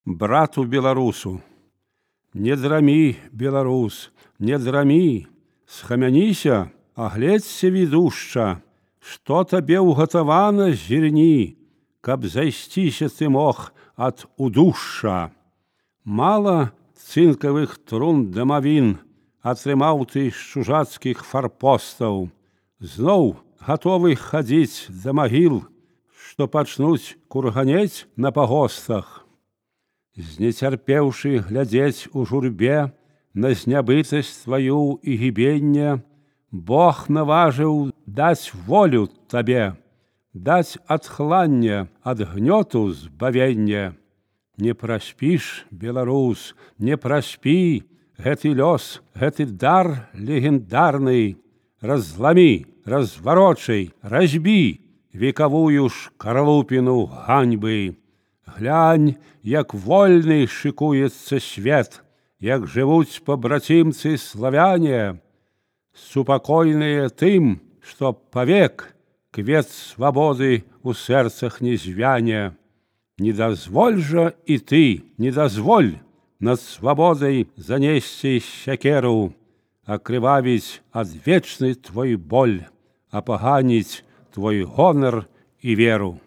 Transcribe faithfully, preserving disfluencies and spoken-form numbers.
брату беларусу. Не драмі, беларус, не драмі, схамяніся, агледзься відушча, што табе ўгатавана зірні, каб зайсціся ты мог ад удушша. Мала цынкавых трун дамавін атрымаў ты з чужацкіх фарпостаў, зноў гатовы хадзіць да магіл, што пачнуць курганець на пагостах. Знецярпеўшы глядзець у журбе на знябытасць тваю і гібенне, Бог наважыў даць волю табе, даць адхланне ад гнёту збавенне. Не праспіш, беларус, не праспі, гэты лёс, гэты дар легендарны, разламі, разварочай, разбі векавую шкарлупіну ганьбы. Глянь, як вольны шыкуецца свет, як жывуць пабрацімцы славяне, супакойныя тым, што павек квет свабоды ў сэрцах не звяне. Не дазволь жа і ты, не дазволь над свабодай занесці сякеру, акрывавіць адвечны твой боль, апаганіць твой гонар і веру.